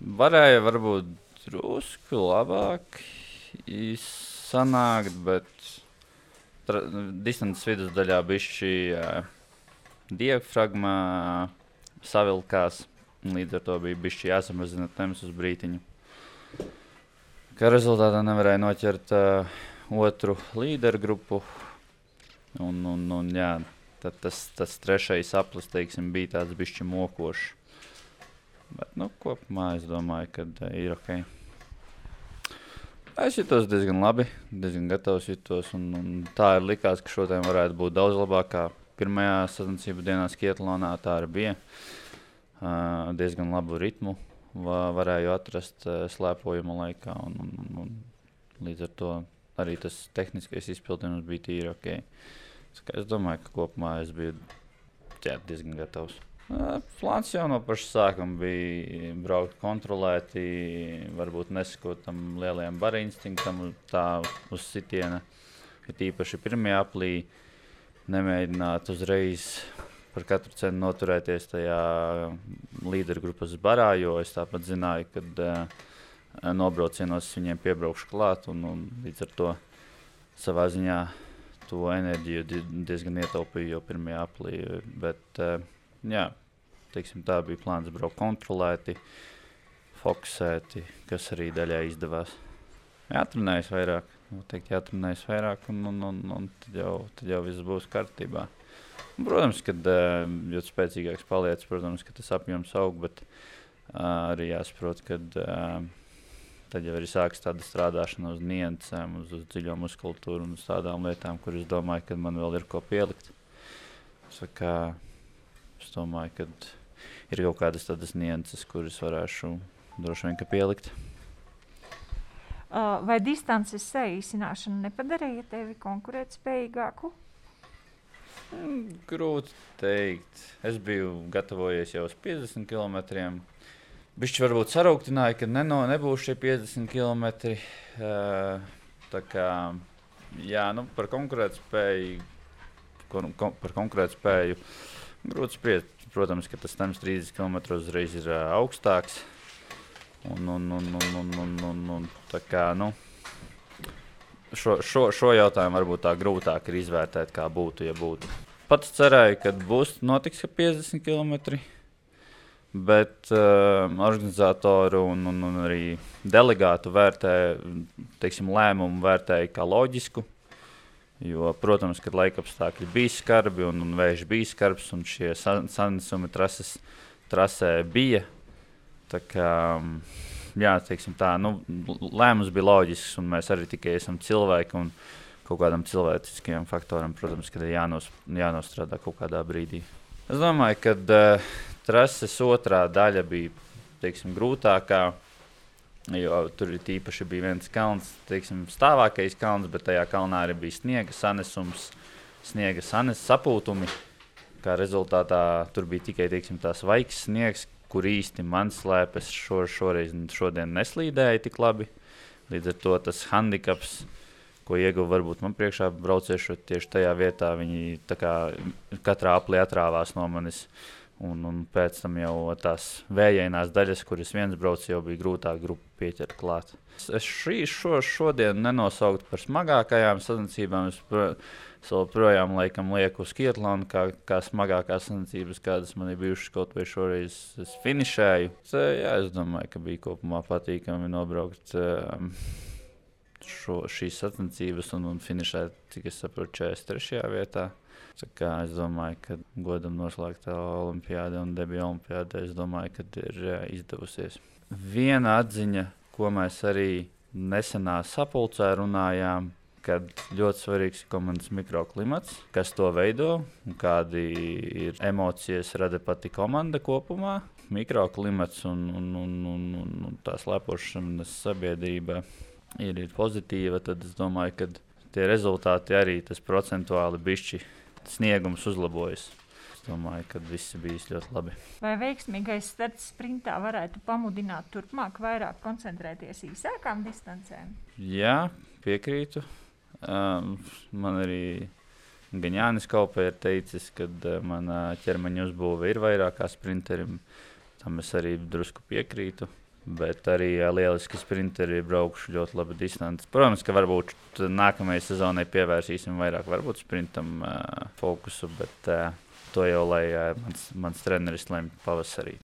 Varēja varbūt drusku labāk sanākt, bet distances vidusdaļā bišķi diafragma savilkās. Līdz ar to bija bišķi jāsamazina temps uz brītiņu. Kā rezultātā nevarēja noķert otru līderu grupu. Un jā, tad tas trešais aplis, teiksim, bija tāds bišķi mokošs. Bet, kopumā es domāju, ka ir ok. Es jutos diezgan labi, diezgan gatavs jutos, un tā ir likās, ka šodien varētu būt daudz labāk kā pirmajā sacensību dienā Skietlonā. Tā arī bija. Diezgan labu ritmu varēju atrast slēpojuma laikā, un līdz ar to arī tas tehniskais izpildījums bija tīri ok. Es domāju, ka kopumā es biju diezgan gatavs. Plāns jau no paša sākuma bija braukt kontrolēti, varbūt nesakot tam lielajam bara instinktam tā uz sitiena, ka tīpaši pirmajā aplī nemēģināt uzreiz par katru cenu noturēties tajā līderu grupas barā, jo es tāpat zināju, ka nobraucienos viņiem piebraukšu klāt, un līdz ar to savā ziņā to enerģiju diezgan ietaupīju jau pirmajā aplī, bet jā, teiksim, tā bija plāns braukt kontrolēti, fokusēti, kas arī daļai izdevās. Jātrenējas vairāk, un tad jau viss būs kārtībā. Protams, kad jo spēcīgāks paliec, protams, ka tas apjoms aug, bet arī jāsaprot, ka tad jau arī sāks tāda strādāšana uz niansēm, uz dziļo muskultūru un uz tādām lietām, kur es domāju, ka man vēl ir ko pielikt. Es domāju, ka ir kaut kādas tādas nianses, kuras varēšu droši vien pielikt. Vai distances saīsināšana nepadarīja tevi konkurētspējīgāku? Grūti teikt. Es biju gatavojies jau uz 50 km. Bišķi varbūt sarūktināja, ka nebūs šie 50 km. Tā kā, jā, par konkurētspēju grūti spriest. Protams, ka tas temps 30 km uzreiz ir augstāks. Un tā kā, šo jautājumu varbūt tā grūtāk ir izvērtēt, kā būtu, ja būtu. Pats cerēju, ka notiks 50 km, bet organizatoru un arī delegātu lēmumu vērtēja kā loģisku, jo, protams, kad laikapstākļi bija skarbi un vējš bija skarbs un šie sanesumi trasē bija, tā kā, jā, teiksim tā, lēmums bija loģisks, un mēs arī tikai esam cilvēki, un kaut kādam cilvēciskajam faktoram, protams, kad ir jānostrādā kaut kādā brīdī. Es domāju, ka trases otrā daļa bija, teiksim, grūtākā, jo tur tīpaši bija viens kalns, teiksim, stāvākais kalns, bet tajā kalnā arī bija sniega sapūtumi, kā rezultātā tur bija tikai, teiksim, tās vaigs sniegs, kur īsti man slēpes šodien neslīdēja tik labi. Līdz ar to tas handikaps, ko ieguva varbūt man priekšā brauciešot tieši tajā vietā, viņi tā kā katrā aplī atrāvās no manis. Un pēc tam jau tās vējainās daļas, kuras viens brauc, jau bija grūtāk grupu pieķert klāt. Es šodien nenosauktu par smagākajām sacensībām. Es joprojām laikam lieku uz Skietlonu, kā smagākās sacensības, kādas man ir bijušas, kaut vai šoreiz es finišēju. Jā, es domāju, ka bija kopumā patīkami nobraukt šīs sacensības un finišēt, cik es saprotu, 43. vietā. Es domāju, ka godam noslēgtā olimpiāde un debija olimpiādē, es domāju, ka ir izdevusies. Viena atziņa, ko mēs arī nesenā sapulcē runājām, kad ļoti svarīgs ir komandas mikroklimats, kas to veido un kādi ir emocijas rada pati komanda kopumā. Mikroklimats un tā slēpošanas sabiedrība ir pozitīva, tad es domāju, ka tie rezultāti arī tas procentuāli bišķi sniegums uzlabojas. Es domāju, ka viss bijis ļoti labi. Vai veiksmīgais starts sprintā varētu pamudināt turpmāk vairāk koncentrēties īsākām distancēm? Jā, piekrītu. Man arī gan Jānis Kaupē ir teicis, ka mana ķermeņa uzbūve ir vairāk kā sprinterim. Tam es arī drusku piekrītu. Bet arī lieliski sprinteri ir braukuši ļoti labi distanci. Protams, ka varbūt nākamajai sezonai pievērsīsim vairāk varbūt sprintam fokusu, bet to jau lai mans treneris lemj pavasarī.